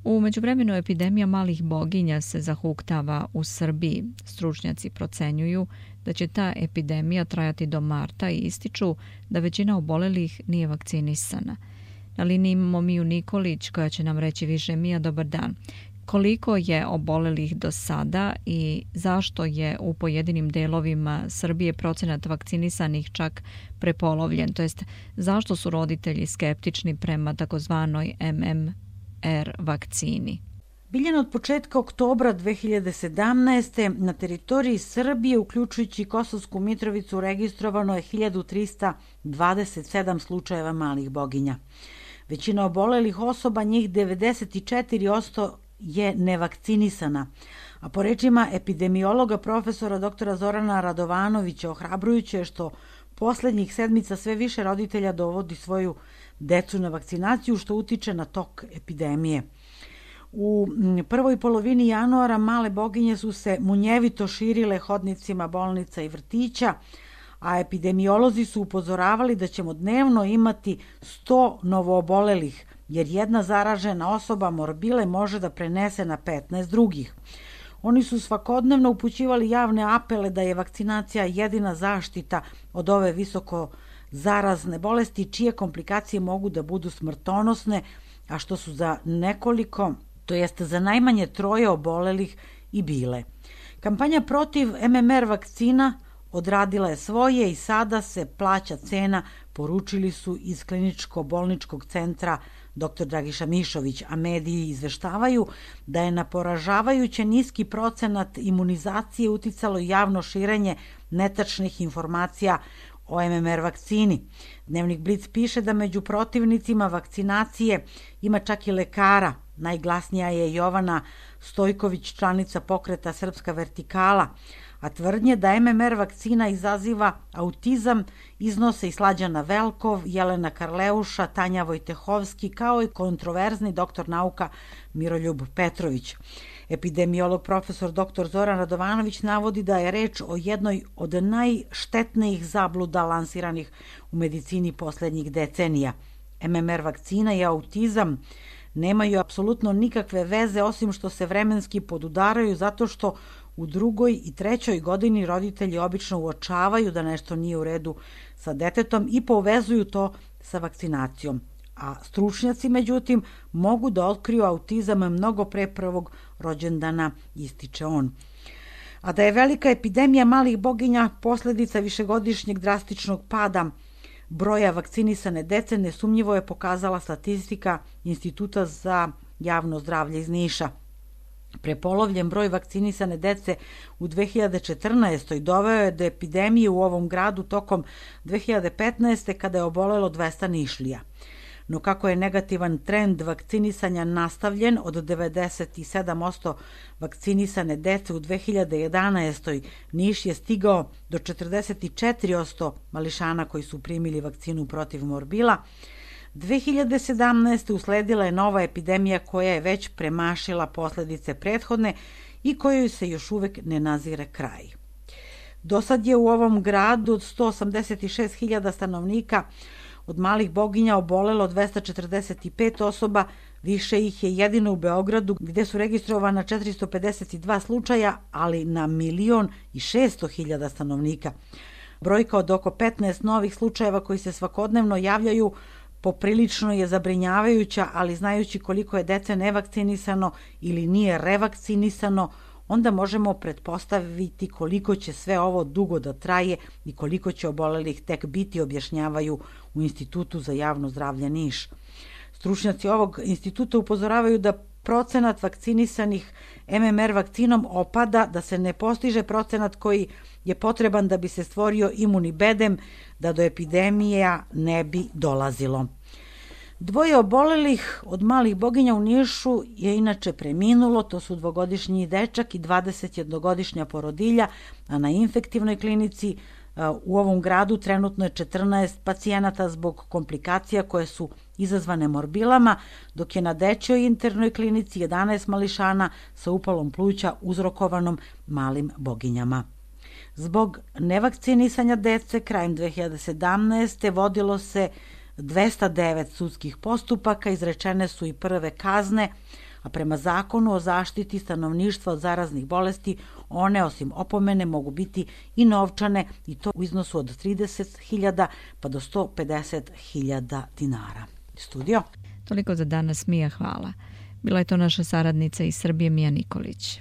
U međuvremenu epidemija malih boginja se zahuktava u Srbiji. Stručnjaci procenjuju da će ta epidemija trajati do marta i ističu da većina obolelih nije vakcinisana. Na liniji imamo Miju Nikolić koja će nam reći više. Mija, dobar dan. Koliko je obolelih do sada i zašto je u pojedinim delovima Srbije procenat vakcinisanih čak prepolovljen? To jest, zašto su roditelji skeptični prema takozvanoj MMR vakcini? Biljana, od početka oktobra 2017. na teritoriji Srbije, uključujući Kosovsku Mitrovicu, registrovano je 1327 slučajeva malih boginja. Većina obolelih osoba, njih 94%, je nevakcinisana. A po rečima epidemiologa profesora dr. Zorana Radovanovića, ohrabrujuće je što poslednjih sedmica sve više roditelja dovodi svoju decu na vakcinaciju, što utiče na tok epidemije. U prvoj polovini januara male boginje su se munjevito širile hodnicima bolnica i vrtića, a epidemiolozi su upozoravali da ćemo dnevno imati 100 novoobolelih, jer jedna zaražena osoba morbile može da prenese na 15 drugih. Oni su svakodnevno upućivali javne apele da je vakcinacija jedina zaštita od ove visoko zarazne bolesti, čije komplikacije mogu da budu smrtonosne, a što su za nekoliko, to jeste za najmanje 3 obolelih i bile. Kampanja protiv MMR vakcina odradila je svoje i sada se plaća cena, poručili su iz kliničko-bolničkog centra dr. Dragiša Mišović, a mediji izveštavaju da je na poražavajuće niski procenat imunizacije uticalo javno širenje netačnih informacija o MMR vakcini. Dnevnik Blic piše da među protivnicima vakcinacije ima čak i lekara. Najglasnija je Jovana Stojković, članica pokreta Srpska vertikala, a tvrdnje da MMR vakcina izaziva autizam iznose i Slađana Velkov, Jelena Karleuša, Tanja Vojtehovski, kao i kontroverzni doktor nauka Miroljub Petrović. Epidemiolog profesor dr. Zoran Radovanović navodi da je reč o jednoj od najštetnijih zabluda lansiranih u medicini poslednjih decenija. MMR vakcina i autizam nemaju apsolutno nikakve veze, osim što se vremenski podudaraju zato što u 2. i 3. godini roditelji obično uočavaju da nešto nije u redu sa detetom i povezuju to sa vakcinacijom. A stručnjaci, međutim, mogu da otkriju autizam mnogo pre prvog rođendana, ističe on. A da je velika epidemija malih boginja posledica višegodišnjeg drastičnog pada broja vakcinisane dece, nesumnjivo je pokazala statistika Instituta za javno zdravlje iz Niša. Prepolovljen broj vakcinisane dece u 2014. doveo je do epidemije u ovom gradu tokom 2015. kada je obolelo 200 Nišlija. No kako je negativan trend vakcinisanja nastavljen od 97% vakcinisane dece u 2011. Niš je stigao do 44% mališana koji su primili vakcinu protiv morbila. 2017. usledila je nova epidemija koja je već premašila posledice prethodne i kojoj se još uvek ne nazire kraj. Do sad je u ovom gradu od 186.000 stanovnika od malih boginja obolelo 245 osoba, više ih je jedino u Beogradu gde su registrovana 452 slučaja, ali na 1.600.000 stanovnika. Brojka od oko 15 novih slučajeva koji se svakodnevno javljaju poprilično je zabrinjavajuća, ali znajući koliko je dece nevakcinisano ili nije revakcinisano, onda možemo pretpostaviti koliko će sve ovo dugo da traje i koliko će obolelih tek biti, objašnjavaju u Institutu za javno zdravlje Niš. Stručnjaci ovog instituta upozoravaju da procenat vakcinisanih MMR vakcinom opada, da se ne postiže procenat koji je potreban da bi se stvorio imuni bedem, da do epidemija ne bi dolazilo. 2 obolelih od malih boginja u Nišu je inače preminulo, to su 2-godišnji dečak i 21-godišnja porodilja, a na infektivnoj klinici u ovom gradu trenutno je 14 pacijenata zbog komplikacija koje su izazvane morbilama, dok je na dečjoj internoj klinici 11 mališana sa upalom pluća uzrokovanom malim boginjama. Zbog nevakcinisanja dece krajem 2017. vodilo se 209 sudskih postupaka, izrečene su i prve kazne, a prema zakonu o zaštiti stanovništva od zaraznih bolesti one osim opomene mogu biti i novčane i to u iznosu od 30.000 pa do 150.000 dinara. Studio. Toliko za danas, Mija, hvala. Bila je to naša saradnica iz Srbije, Mija Nikolić.